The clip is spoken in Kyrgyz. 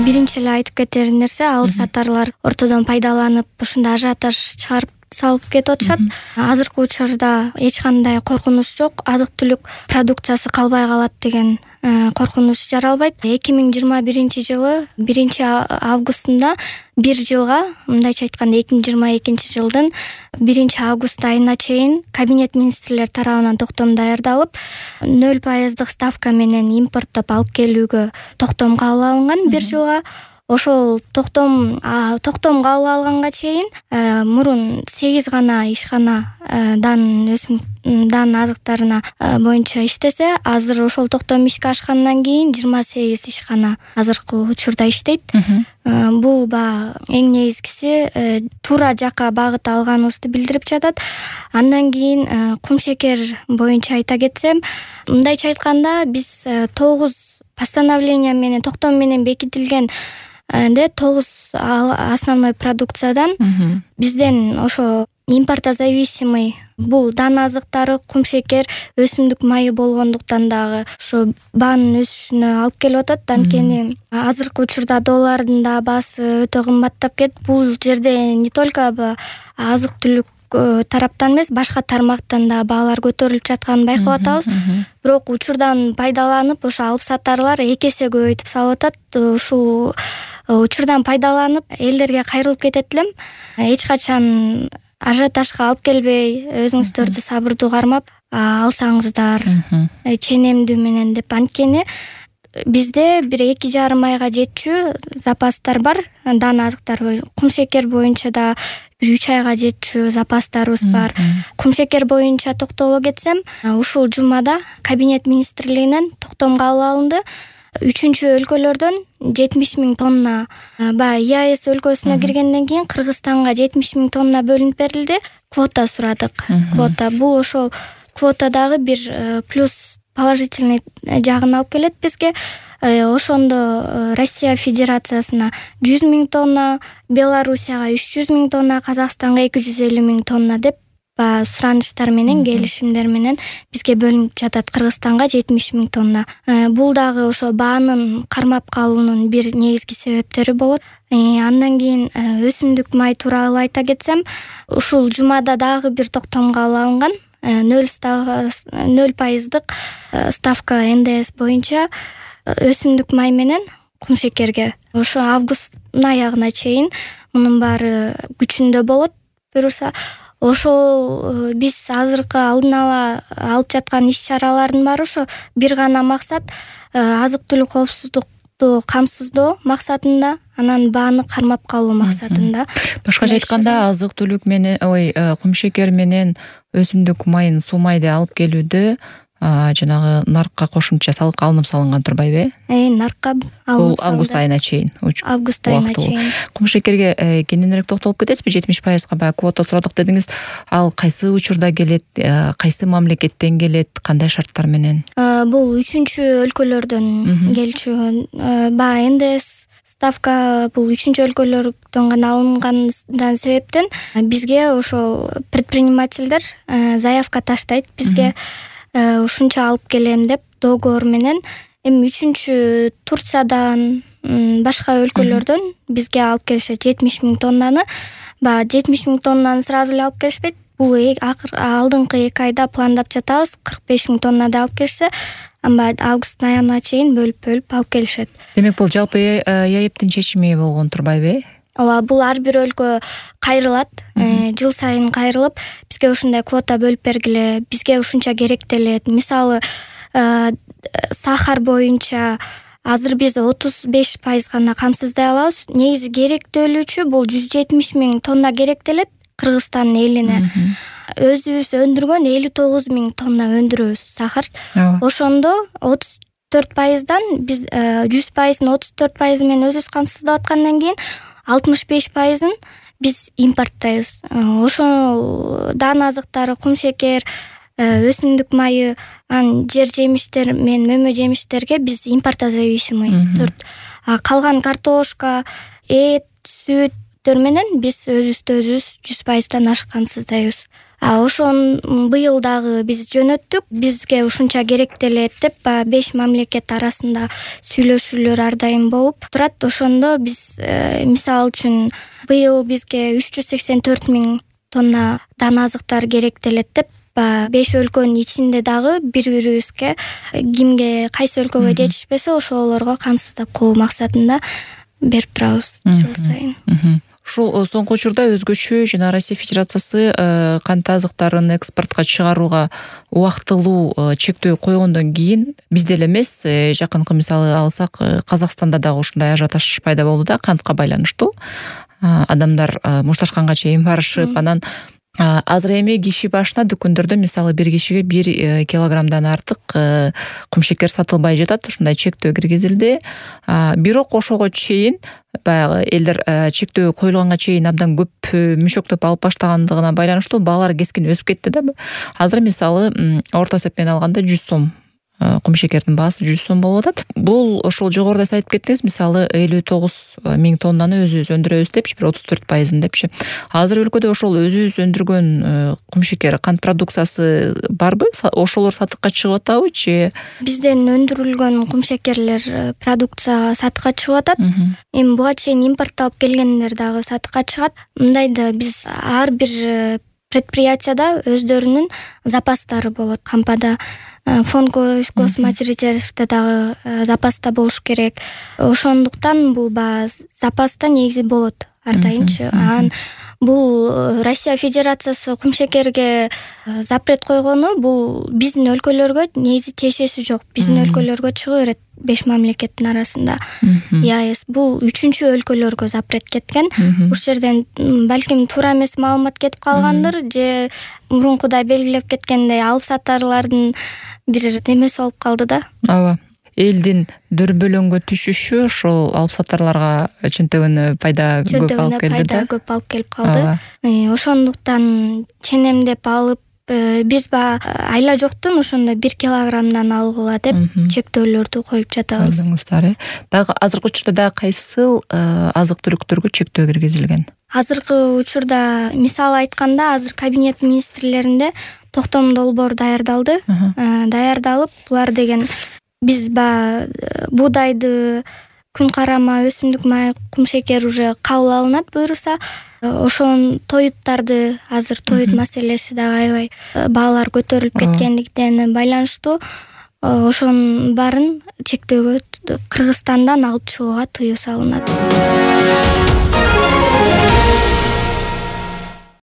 Биринчи эле айтып кетер нерсе, алып сатарлар ортодон пайдаланып ушундай ажиотаж чыгарып салып кетип атышат. Азыркы учурда эч кандай коркунуч жок, азык-түлүк продукциясы калбай калат деген коркунуч жаралбайт. 2021 жылы 1-августунда бир жылга, мындайча айтканда 2022 жылдын 1-август айына чейин Кабинет министрлер тарабынан токтом даярдалып, 0% ставка менен импорттоп алып келүүгө токтом кабыл алынган бир жылга. Ошол токтом кабыл алганга чейин мурун 8 гана ишкана дан азыктарына боюнча иштесе, азыр ошол токтом ишке ашкандан кийин 28 ишкана азыркы учурда иштейт. Бул эң негизгиси туура жакка багыт алганыбызды билдирип жатат. Андан кийин кумшекер боюнча айта кетсем, мындайча айтканда биз 9 постановление менен токтом менен бекитилген 9 основной продукциядан бизден ошо импортозависимый бул дан азыктары, кумшекер, өсүмдүк майы болгондуктан дагы ошо баанын өсүшүнө алып келип атат. Анткени азыркы учурда доллардын да баасы өтө кымбаттап кетти. Бул жерде не только азык-түлүк тараптан эмес, башка тармактан да баалар көтөрүлүп жатканын байкап атабыз. Бирок учурдан пайдаланып, ошо алып сатарлар 2 эсе көбөйтүп салып атат. Ушул учурдан пайдаланып элдерге кайрылып кетет элем. Эч качан ажиотажга алып келбей, өзүңүздөрдү сабырдуу кармап алсаңыздар, ченемдүү менен деп. Анткени бизде 1-2,5 айга жетчү запастар бар. Дан азыктар, кумшекер боюнча да 3 айга жетчү запастарыбыз бар. Кумшекер боюнча токтоло кетсем, ушул жумада Кабинет министрлигинен токтом кабыл алынды. 3-өлкөлөрдөн 70 000 тонна, ЕАЭС өлкөсүнө киргенден кийин Кыргызстанга 70 000 тонна бөлүнүп берилди. Квота сурадык. Квота бул ошол квота дагы бир плюс положительный жагын алып келет бизге. Ошондо Россия Федерациясына 100 000 тонна, Белоруссияга 300 000 тонна, Казакстанга 250 000 тонна деп суранычтар менен, келишимдер менен бизге бөлүнүп жатат. Кыргызстанга 70 000 тонна. Бул дагы ошо баанын кармап калуунун бир негизги себептери болот. Андан кийин өсүмдүк май тууралуу айта кетсем, ушул жумада дагы бир токтом кабыл алынган. 0% ставка НДС боюнча өсүмдүк май менен кумшекерге ошо августтун аягына чейин мунун баары күчүндө болот буюрса. Ошол биз азыркы алдын ала алып жаткан иш-чаралардын баары ошо бир гана максат, азык-түлүк коопсуздукту камсыздоо максатында, анан бааны кармап калуу максатында. Башкача айтканда, азык-түлүк менен, кумшекер менен өсүмдүк майын, суу майды алып келүүдө жанагы наркка кошумча салык алынып салынган турбайбы? Наркка алынып салынды. Бул август айына чейин. Август айына чейин. Кумшекерге кененирээк токтолуп кетесизби? 70%га квота сурадык дедиңиз. Ал кайсы учурда келет, кайсы мамлекеттен келет, кандай шарттар менен? Бул 3-өлкөлөрдөн келчү. НДС ставка бул 3-өлкөлөрдөн гана алынгандан себептен бизге ошо предпринимательдер заявка таштайт. Бизге ушунча алып келем деп договор менен. Эми 3 Турциядан, башка өлкөлөрдөн бизге алып келишет 70 000 тоннаны. 70 000 тоннаны сразу эле алып келишпейт. Бул алдыңкы 2 айда пландап жатабыз. 45 000 тоннада алып келишсе, августтун аягына чейин бөлүп алып келишет. Демек бул жалпы ЯЭПтин чечими болгон турбайбы? Ооба, бул ар бир өлкө кайрылат. Жыл сайын кайрылып, бизге ушундай квота бөлүп бергиле, бизге ушунча керектелет. Мисалы, сахар боюнча азыр биз 35% гана камсыздай алабыз. Негизи керектөлүүчү бул 170 000 тонна керектелет Кыргызстан элине. Өзүбүз өндүргөн 59 000 тонна өндүрөбүз сахар. Ошондо 34%дан биз 100%-ын 34% менен өзүбүз камсыздап аткандан кийин 65%-ын биз импорттойбуз. Ошол дан азыктары, кумшекер, өсүмдүк майы, жер жемиштер менен мөмө жемиштерге биз импортозависимый. Калган картошка, эт, сүттөр менен биз өзүбүздү өзүбүз 100%-дан ашык камсыздайбыз. Ошон быйыл дагы биз жөнөттүк. Бизге ушунча керектелет деп 5 мамлекет арасында сүйлөшүүлөр ар дайым болуп турат. Ошондо биз мисалы үчүн быйыл бизге 384 000 тонна дана азыктар керектелет деп 5 өлкөнүн ичинде дагы бири-бирибизге кимге кайсы өлкөгө жетишпесе ошолорго камсыздап коюу максатында берип турабыз жыл сайын. Ушул соңку учурда өзгөчө жана Россия Федерациясы кант азыктарын экспортко чыгарууга убактылуу чектөө койгондон кийин бизде эле эмес, жакынкы мисалы алсак Казакстанда дагы ушундай ажиотаж пайда болду да, кантка байланыштуу. Адамдар мушташканга чейин барышып, анан азыр эми киши башына дүкөндөрдө мисалы бир кишиге 1 килограммдан артык кумшекер сатылбай жатат. Ушундай чектөө киргизилди. Бирок ошого чейин баягы элдер чектөө коюлганга чейин абдан көп мüşөктөп алып баштагандыгына байланыштуу баалар кескин өсүп кетти да. Азыр мисалы орто эсеп менен алганда 100 сом кумшекердин баасы 100 сом болуп атат. Бул ошол жогоруда айтып кеттиңиз, мисалы 59 000 тоннаны өзүбүз өндүрөбүз депчи, бир 34% депчи. Азыр өлкөдө ошол өзүбүз өндүргөн кумшекер кант продукциясы барбы? Ошолор сатыкка чыгып атабы же? Бизден өндүрүлгөн кумшекерлер продукция сатыкка чыгып атат. Эми буга чейин импортталып келгендер дагы сатыкка чыгат. Мындайда биз ар бир предприятияда өздөрүнүн запастары болот. Кампада фонд госмат резервде дагы запаста болуш керек. Ошондуктан бул запаста негизи болот ар дайымчы. Бул Россия Федерациясы кумшекерге запрет койгону бул биздин өлкөлөргө негизи тиешеси жок. Биздин өлкөлөргө чыга берет 5 мамлекеттин арасында. ЕАЭС бул 3-чү өлкөлөргө запрет кеткен. Ушул жерден балким туура эмес маалымат кетип калгандыр, же мурункудай белгилеп кеткендей алып сатарлардын бир немеси болуп калды да. Ооба. Элдин дөрбөлөңгө түшүшү ошол алып сатарларга чынтыгын пайда көп алып келди да. Көп алып келип калды. Ошондуктан ченемдеп алып биз айла жоктун ошондо 1 килограммдан алгыла деп чектөөлөрдү коюп жатабыз. Дагы азыркы учурда дагы кайсыл азык түлүктөргө чектөө киргизилген? Азыркы учурда мисалы айтканда азыр кабинет министрлеринде токтом долбоор даярдалды. Даярдалып, булар деген биз буудайды, күн карама, өсүмдүк май, кумшекер уже кабыл алынат буюрса, ошон тоюттарды азыр тоют маселеси дагы аябай баалар көтөрүлүп кеткендиктен байланыштуу ошонун баарын чектөөгө Кыргызстандан алып чыгууга тыюу салынат.